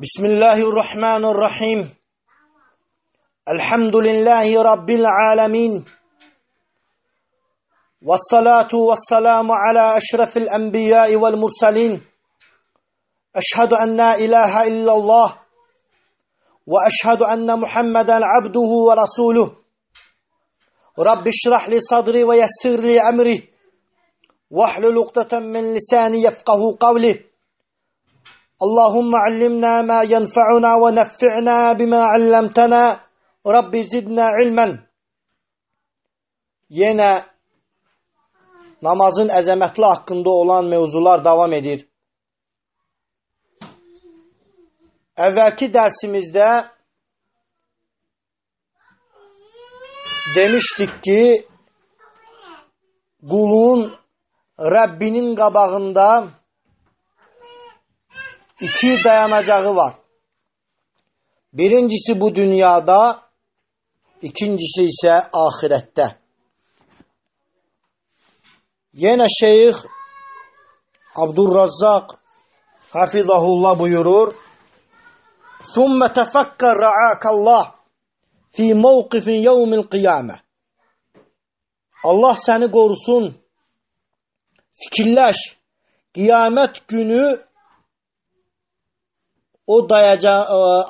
Bismillahirrahmanirrahim. Elhamdülillahi Rabbil alemin. Vessalatu vesselamu ala eşrefil enbiyai vel mursalin. Eşhedü en la ilahe illallah. Ve eşhedü enne Muhammeden abduhu ve rasuluh. Rabbi şrah li sadri ve yessir li emri. Vahlul ukdeten min lisani yefkahu kavli. Allahümme allimna ma yenfa'una ve neffi'na bima allamtana. Rabbi zidna ilmen. Yine namazın əzəmətli haqqında olan mevzular davam edir. Əvvəlki dərsimizdə demişdik ki, qulun Rəbbinin qabağında iki dayanacağı var. Birincisi bu dünyada, ikincisi ise ahirette. Yine Şeyh Abdurrazzak hafizahullah buyurur: ثُمَّ تَفَكَّرْ رَعَاكَ اللّٰهِ فِي مَوْقِفٍ يَوْمِ الْقِيَامَةِ. Allah seni korusun. Fikirləş, kıyamet günü o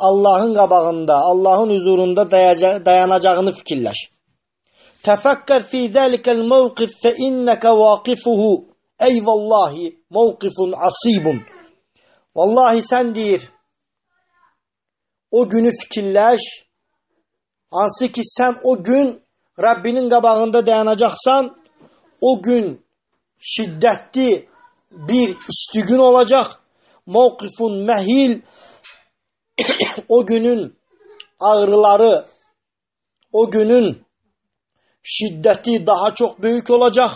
Allah'ın qabağında, Allah'ın huzurunda dayanacağını fikirləş. Təfəkkər fi zəlikəl mövqif fə innəkə vaqifuhu. Eyvallahi mövqifun asibun. Vallahi sən deyir, o günü fikirləş, hansı ki sən o gün Rabbinin qabağında dayanacaqsan, o gün şiddətli bir isti gün olacaq. Mövqifun məhil, o günün ağrıları, o günün şiddeti daha çok büyük olacak.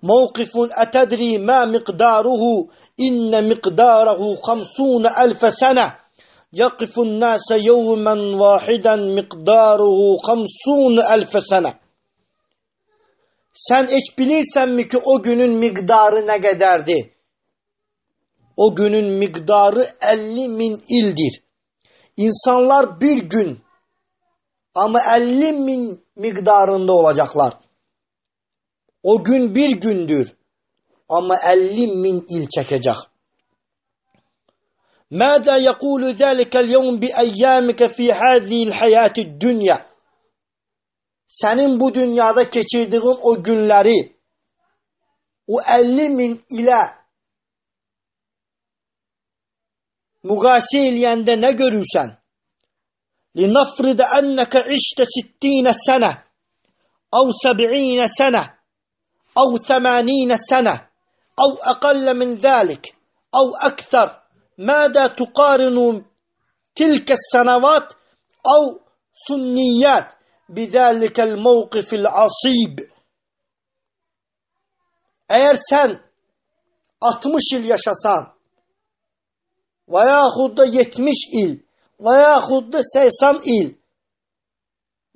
Mevkifun etedri ma miqdaruhu inne miqdarahu 50.000 sene. Yakifun nase yevmen vahiden miqdaruhu 50.000 sene. Sen hiç bilirsen mi ki o günün miqdarı ne kadardı? O günün miqdarı 50.000 ildir. İnsanlar bir gün ama 50.000 miqdarında olacaklar. O gün bir gündür ama 50.000 il çekecek. Mâdâ yekûlü zâlikel yevm bi eyyâmike fî hâzîl hayâtid dünya. Senin bu dünyada geçirdiğin o günleri o 50.000 ile mugâsi eləyəndə ne görürsen? لنفرض أنك عشت 60 سنة أو 70 سنة أو 80 سنة أو أقل من ذلك أو أكثر. ماذا تقارن تلك السنوات أو سنيات بذلك الموقف العصيب. Eğer sen 60 yıl yaşasan veyahut da 70 yıl veyahut da 80 il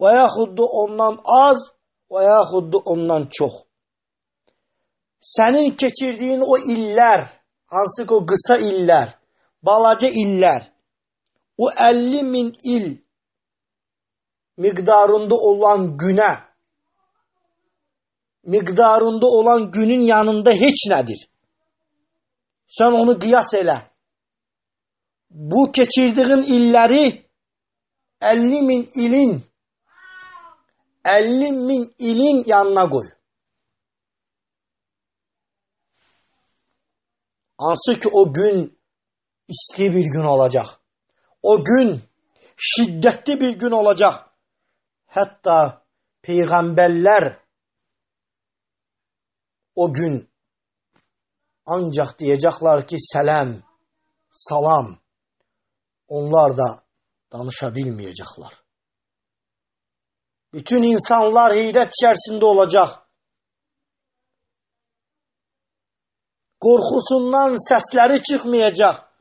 veyahut da ondan az veyahut da ondan çok. Senin geçirdiğin o iller, hansı ki o kısa iller, balaca iller, o 50.000 il miqdarında olan güne, miqdarında olan günün yanında heç nedir. Sen onu kıyas elə. Bu geçirdiğin illeri 50.000 ilin yanına koy. Hansı ki o gün isti bir gün olacak. O gün şiddetli bir gün olacak. Hatta peygamberler o gün ancak diyecekler ki selam, salam. Onlar da danışabilmeyecekler. Bütün insanlar heyret içerisinde olacak. Korkusundan sesleri çıkmayacak.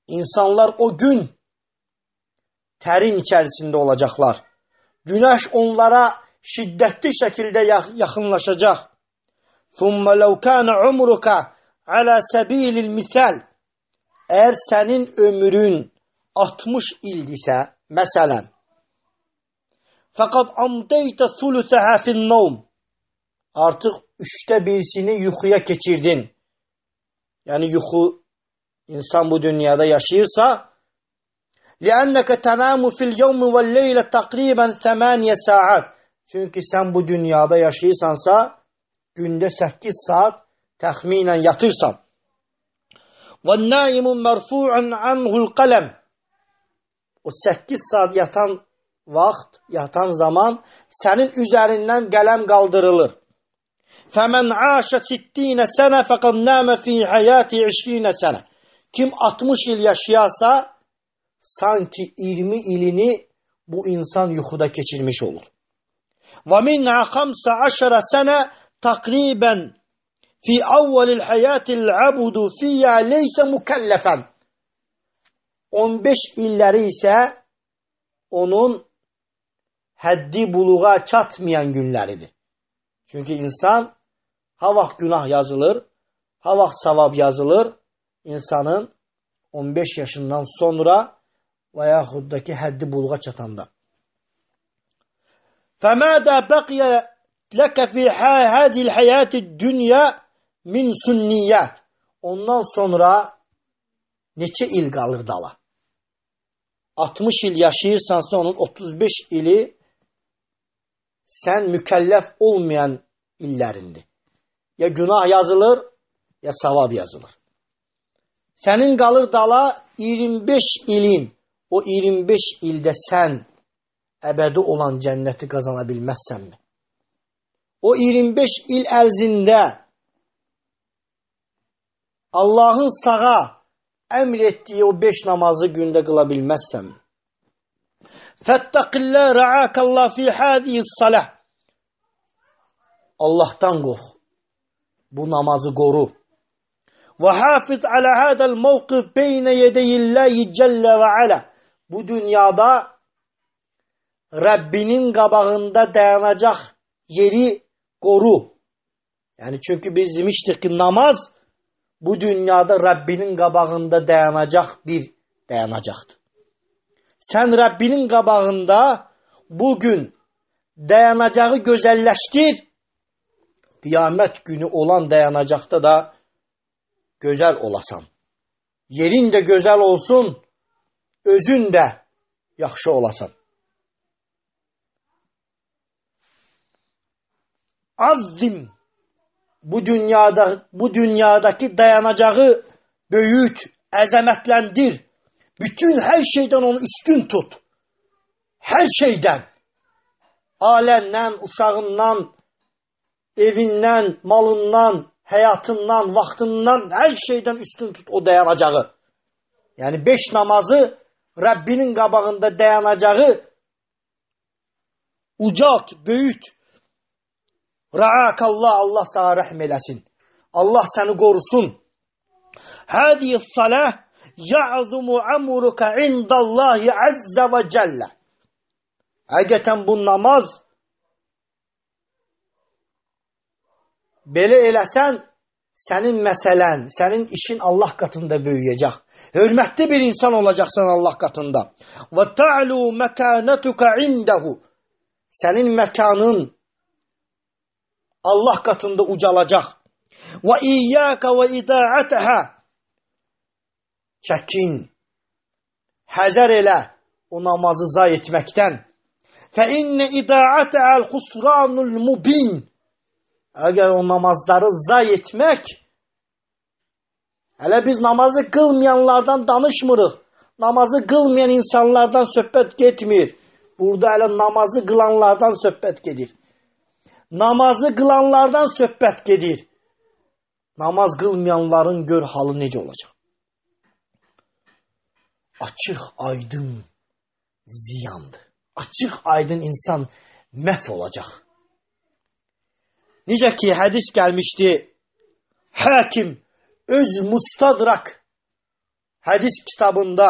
İnsanlar o gün terin içerisinde olacaklar. Güneş onlara şiddetli şekilde yakınlaşacak. ثُمَّ لَوْ كَانَ عُمْرُكَ عَلَى سَب۪يلِ الْمِثَالِ. Eğer senin ömrün 60 ildisə, məsələn, fakat amdeyte thuluthaha fin nawm, artık 1/3'ini yuxuya keçirdin. Yani yuxu, insan bu dünyada yaşayırsa, لِأَنَّكَ تَنَامُ فِي الْيَوْمِ وَالْلَيْلَ تَقْرِيبًا 8 saat. Çünkü sen bu dünyada yaşayırsansa, günde 8 saat təxminən yatırsan. وَالنَّائِمُ مَرْفُوعًا عَنْهُ الْقَلَمِ. O 8 saat yatan vaxt, yatan zaman senin üzerinden qələm qaldırılır. فَمَنْ عَاشَ 60 سَنَةً فَقَدْ نَامَ فِي حَيَاتِ 20 سَنَةً. Kim 60 il yaşayarsa, sanki 20 ilini bu insan yuxuda keçirmiş olur. وَمِنْهَا 15 سَنَةً تَقْرِيبًا فِي أَوَّلِ الْحَيَاةِ الْعَبُدُ فِيهَا لَيْسَ مُكَلَّفًا. 15 illəri isə onun həddi buluğa çatmayan günləridir. Çünkü insan ha vaxt günah yazılır, ha vaxt savab yazılır. İnsanın 15 yaşından sonra və yaxud da ki həddi buluğa çatanda. فَمَاذَا بَقِيَ لَكَ فِي هَذِهِ الْحَيَاةِ الدُّنْيَا مِنْ سُنِّيَّاتِ. Ondan sonra neçə il qalır dala? 60 il yaşayırsansa onun 35 ili sen mükəlləf olmayan illərindir. Ya günah yazılır, ya savab yazılır. Senin qalır dala 25 ilin. O 25 ildə sən əbədi olan cənnəti qazana bilməzsənmi? O 25 il ərzində Allah'ın sağa əmr etdiyi o 5 namazı gündə qıla bilməzsənmi? Fəttəqillə rəakallah fi hədiyis salah. Allah'tan qorx. Bu namazı qoru. Və hafiz alə hədəl mövqif beynə yedeyilləyi cəllə və alə. Bu dünyada Rabbinin qabağında dayanacaq yeri qoru. Yani çünkü biz demiştik ki namaz bu dünyada Rabbinin qabağında dayanacaq bir dayanacaqdır. Sen Rabbinin qabağında bugün dayanacağı gözəlləşdir. Qiyamət günü olan dayanacaqda da gözəl olasan. Yerin də gözəl olsun, özün də yaxşı olasan. Azzim, bu dünyadaki dayanacağı böyüt, əzəmətləndir. Bütün her şeyden onu üstün tut. Her şeyden. Aləndən, uşağından, evindən, malından, həyatından, vaxtından her şeyden üstün tut o dayanacağı. Yani 5 namazı Rabbinin qabağında dayanacağı ucalt, böyüt. Ra'akallah, Allah sana rəhm eləsin. Allah səni qorusun. Hədiyyə salah ya'zumu amruka indallahi azza ve celle. Həqiqətən bu namaz belə eləsən sənin məsələn, sənin işin Allah katında böyüyəcək. Hörmətli bir insan olacaqsan Allah katında. Və ta'lu məkanatuka indahu. Sənin məkanın Allah katında ucalacaq. Və iyyaka və ida'ataha. Çəkin, həzər elə o namazı zay etməkdən. Fə innə ida'ata'al xusranul mubin. Əgər o namazları zay etmək, hələ biz namazı qılmayanlardan danışmırıq. Namazı qılmayan insanlardan söhbət getmir. Burada hələ namazı qılanlardan söhbət gedir. Namazı qılanlardan söhbət gedir. Namaz qılmayanların gör halı necə olacaq. Açıq, aydın ziyandır. Açıq, aydın insan məhv olacaq. Necə ki, hədis gəlmişdi. Hakim öz Mustadrak hədis kitabında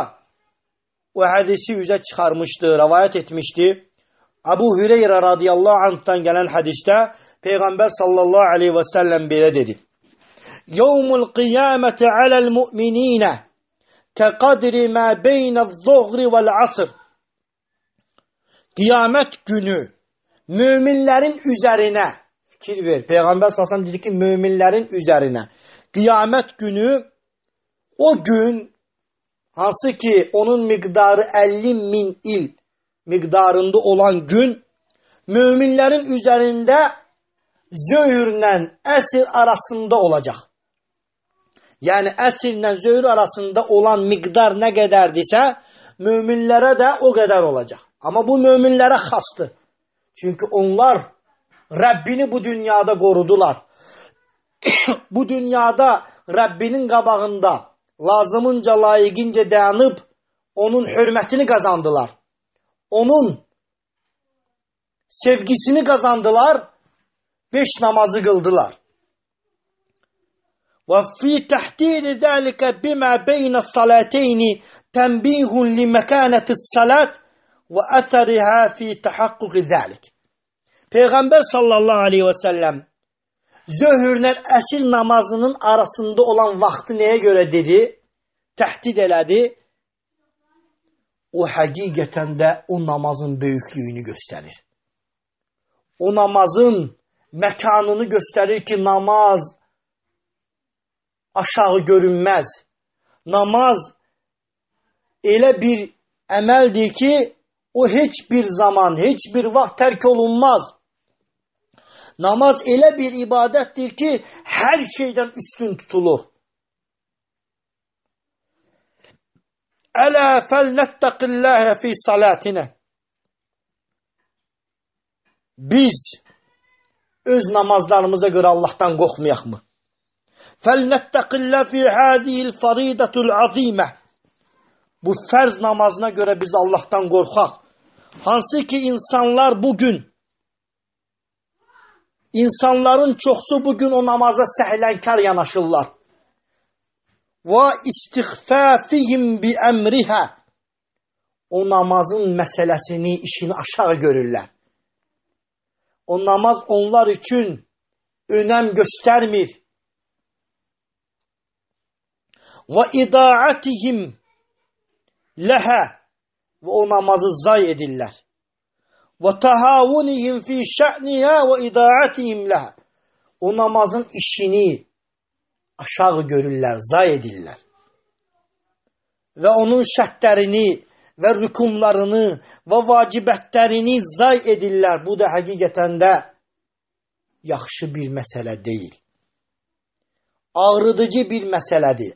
o hədisi üzə çıxarmışdı, rəvayət etmişdi. Abu Hüreyrə radiyallahu anh'tan gələn hədisdə Peyğəmbər sallallahu aleyhi və səlləm belə dedi. Yevmul qiyaməti aləl müminə كَقَدْرِ مَا بَيْنَ الظُّهْرِ وَالْعَصْرِ Qiyamət günü müminlərin üzərinə, fikir ver, Peyğəmbər sallallahu dedi ki, müminlərin üzərinə, qiyamət günü, o gün, hansı ki, onun miqdarı 50.000 il miqdarında olan gün, müminlərin üzərində zöhrlə əsr arasında olacaq. Yəni, əsrlə zöhr arasında olan miqdar nə qədərdirsə, müminlərə də o qədər olacaq. Amma bu möminlərə xasdır. Çünki onlar Rəbbini bu dünyada qorudular. Bu dünyada Rəbbinin qabağında lazımınca, layiqincə dayanıb onun hörmətini qazandılar. Onun sevgisini qazandılar. 5 namazı qıldılar. وَفِي تَحْدِيدِ ذَلِكَ بِمَا بَيْنَ الصَّلَاتَيْنِ تَنْبِيهٌ لِمَكَانَةِ الصَّلَاةِ وَأَثَرِهَا فِي تَحَقُّقِ ذَلِكَ Peyğəmbər sallallahu aleyhi və səlləm zöhrlə əsr namazının arasında olan vaxtı nəyə görə dedi? Təhdid elədi. O həqiqətən də o namazın böyüklüyünü göstərir. O namazın məkanını göstərir ki, namaz aşağı görünməz. Namaz elə bir əməldir ki, o heç bir zaman, heç bir vaxt tərk olunmaz. Namaz elə bir ibadətdir ki, hər şeydən üstün tutulur. Ələ fəlnəttəqilləhə fi salatinə. Biz öz namazlarımıza görə Allahdan qorxmayaq mı? Fəlnəttəqillə fi hədiyil faridətul azimə. Bu fərz namazına görə biz Allahdan qorxaq. Hansı ki insanlar bugün, insanların çoxsu bugün o namaza səhlənkar yanaşırlar. Və istixfafihim bi əmrihə. O namazın məsələsini, işini aşağı görürlər. O namaz onlar üçün önəm göstərmir. Və idaatihim ləhə. Və o namazı zay edirlər. Və təhavunihim fi şə'nihə və idaatihim ləhə. O namazın işini aşağı görürlər, zay edirlər. Və onun şərtlərini və rükunlarını və vacibətlərini zay edirlər. Bu da həqiqətən də yaxşı bir məsələ deyil. Ağrıdıcı bir məsələdir.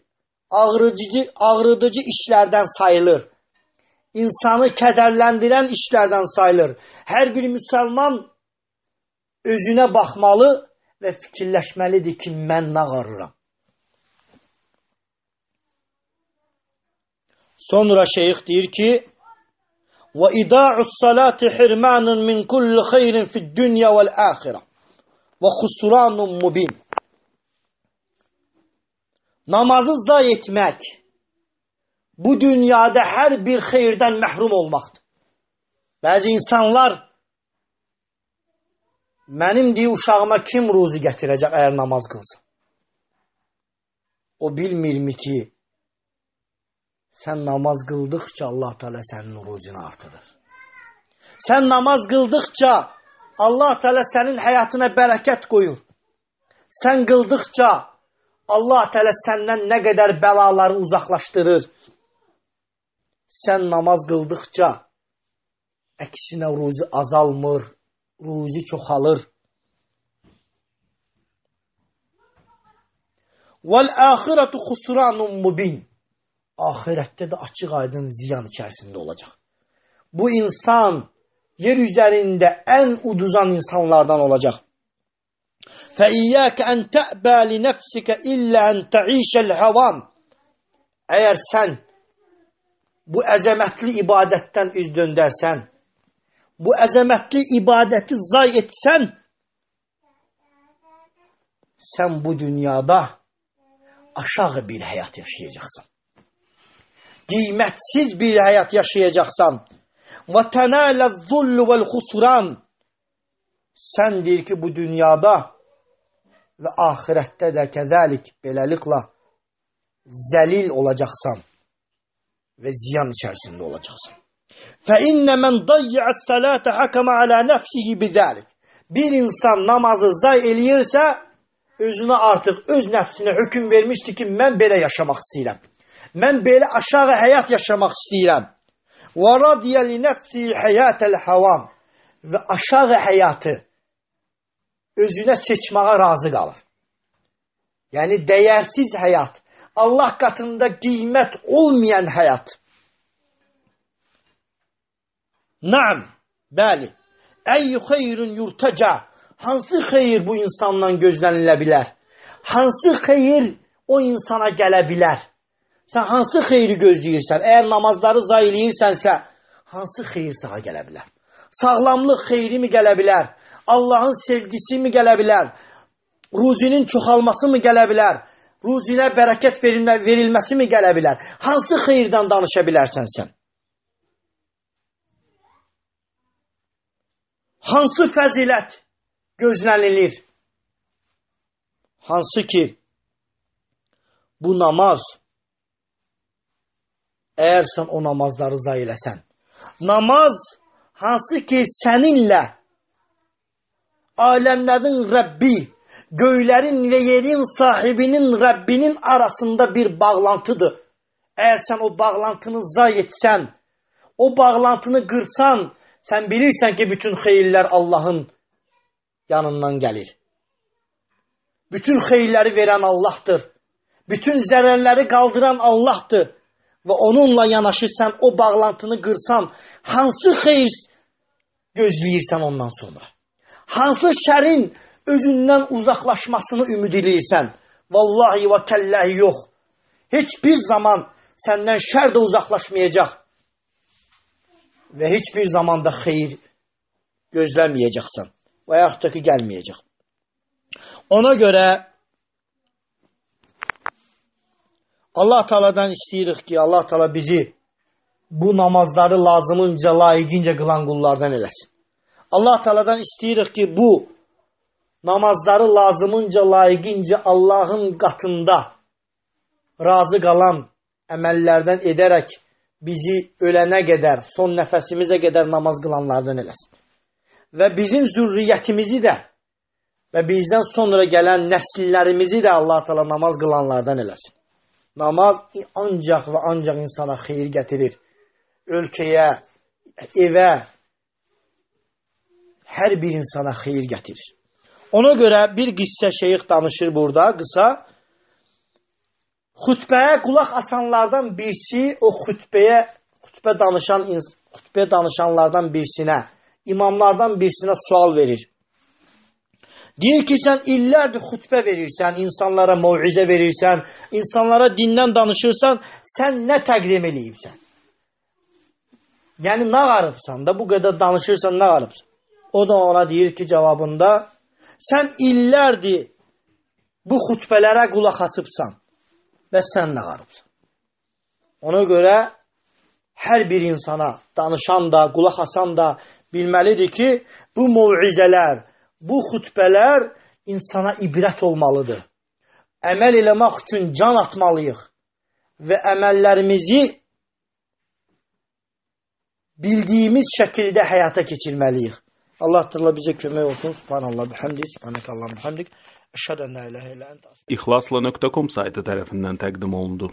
Ağrıdıcı işlərdən sayılır. İnsanı kədərləndirən işlərdən sayılır. Hər bir müsəlman özünə baxmalı və fikirləşməlidir ki, mən nə ağarıram. Sonra şeyx deyir ki, وَإِدَاعُ الصَّلَاةِ حِرْمَانٌ مِنْ كُلِّ خَيْرٍ فِي الدُّنْيَا وَالْآخِرَةِ وَخُسْرَانٌ مُبِينٌ Namazı zay etmək, bu dünyada hər bir xeyirdən məhrum olmaqdır. Bəzi insanlar, mənim deyə uşağıma kim ruzi gətirəcək əgər namaz qılsa? O bilmirmi ki, sən namaz qıldıqca Allah Teala sənin ruzini artırır. Sən namaz qıldıqca Allah Teala sənin həyatına bərəkət qoyur. Sən qıldıqca Allah Teala səndən nə qədər bəlaları uzaqlaşdırır. Sən namaz qıldıqca əksinə ruzi azalmır, ruzi çoxalır. Vəl-əxirətu xusranun mubin. Ahirətdə də açıq aydın ziyan içərisində olacaq. Bu insan yer üzərində ən uduzan insanlardan olacaq. فَإِيَّاكَ أَنْ تَأْبَى لِنَفْسِكَ إِلَّا أَنْ تَعِيشَ الْهَوَامِ Əgər sən bu əzəmətli ibadətdən üz döndərsən, bu əzəmətli ibadəti zay etsən, sən bu dünyada aşağı bir həyat yaşayacaqsan. Qiymətsiz bir həyat yaşayacaqsan. وَتَنَالَ الظُّلُّ وَالْخُسْرَانِ Sən deyir ki, bu dünyada və ahirətdə də kəzəlik, beləliklə zəlil olacaqsan. və ziyan içərisində olacaqsan. فَإِنَّ مَنْ ضَيَّعَ الصَّلَاةَ حَكَمَ عَلَى نَفْسِهِ بِذَلِكَ. Bir insan namazı zay eləyirsə, özünə artıq öz nəfsinə hökm vermişdi ki, mən belə yaşamaq istəyirəm. Mən belə aşağı həyat yaşamaq istəyirəm. وَرَضِيَ لِنَفْسِهِ حَيَاتَ الْحَوَامِ. Və aşağı həyatı özünə seçməyə razı qalır. Yəni, dəyərsiz həyat, Allah qatında qiymət olmayan həyat. Naam, bəli. Əyyü xeyrun yurtaca. Hansı xeyir bu insandan gözlənilə bilər? Hansı xeyir o insana gələ bilər? Sən hansı xeyri gözləyirsən? Əgər namazları zay eləyirsənsə, hansı xeyir sağa gələ bilər? Sağlamlıq xeyri mi gələ bilər? Allahın sevgisi mi gələ bilər? Ruzinin çoxalması mı gələ bilər? Ruzinə bərəkət verilməsi mi gələ bilər? Hansı xeyirdən danışa bilərsən sən? Hansı fəzilət gözlənilir? Hansı ki, bu namaz, əgər sən o namazları zay eləsən, namaz hansı ki səninlə aləmlərin Rəbbi, göylərin və yerin sahibinin Rəbbinin arasında bir bağlantıdır. Əgər sən o bağlantını zay etsən, o bağlantını qırsan, sən bilirsən ki, bütün xeyirlər Allahın yanından gəlir. Bütün xeyirləri verən Allahdır. Bütün zərərləri qaldıran Allahdır. Və onunla yanaşırsan, o bağlantını qırsan, hansı xeyir gözləyirsən ondan sonra? Hansı şərin özündən uzaqlaşmasını ümid edirsən? Vallahi və kəlləhi yox. Heç bir zaman səndən şər də uzaqlaşmayacaq. Və heç bir zamanda xeyir gözləməyəcəksən. Və yaxud da ki, gəlməyəcək. Ona görə Allah Teala'dan istəyirik ki, Allah Teala bizi bu namazları lazımınca, layiqincə qılan qullardan eləsin. Allah Teala'dan istəyirik ki, bu namazları lazımınca, layiqincə Allahın qatında razı qalan əməllərdən edərək bizi ölənə qədər, son nəfəsimizə qədər namaz qılanlardan eləsin. Və bizim zürriyyətimizi də və bizdən sonra gələn nəsillərimizi də Allah Teala namaz qılanlardan eləsin. Namaz ancaq və ancaq insana xeyir gətirir. Ölkəyə, evə, hər bir insana xeyir gətirir. Ona görə bir qissə şeyx danışır burada, qısa. Xütbəyə qulaq asanlardan birisi o xütbə danışanlardan birisinə, imamlardan birisinə sual verir. Deyir ki, sən illərdir xütbə verirsən, insanlara mövizə verirsən, insanlara dindən danışırsan, sən nə təqdim eləyibsən? Yəni, nə qarıbsan da bu qədər danışırsan, nə qarıbsan? O da ona deyir ki, cavabında, sən illərdir bu xütbələrə qulaq asıbsan və sən nə qarıbsan? Ona görə hər bir insana danışan da, qulaq asan da bilməlidir ki, bu mövizələr, bu xütbələr insana ibrət olmalıdır. Əməl eləmək üçün can atmalıyıq və əməllərimizi bildiyimiz şəkildə həyata keçirməliyik. Allah Teala bizə kömək olsun. Subhanallah, bihamdik, subhanakallah, bihamdik. Əşhədu ən la ilahə illə əntə. İxlasla.com saytı tərəfindən təqdim olundu.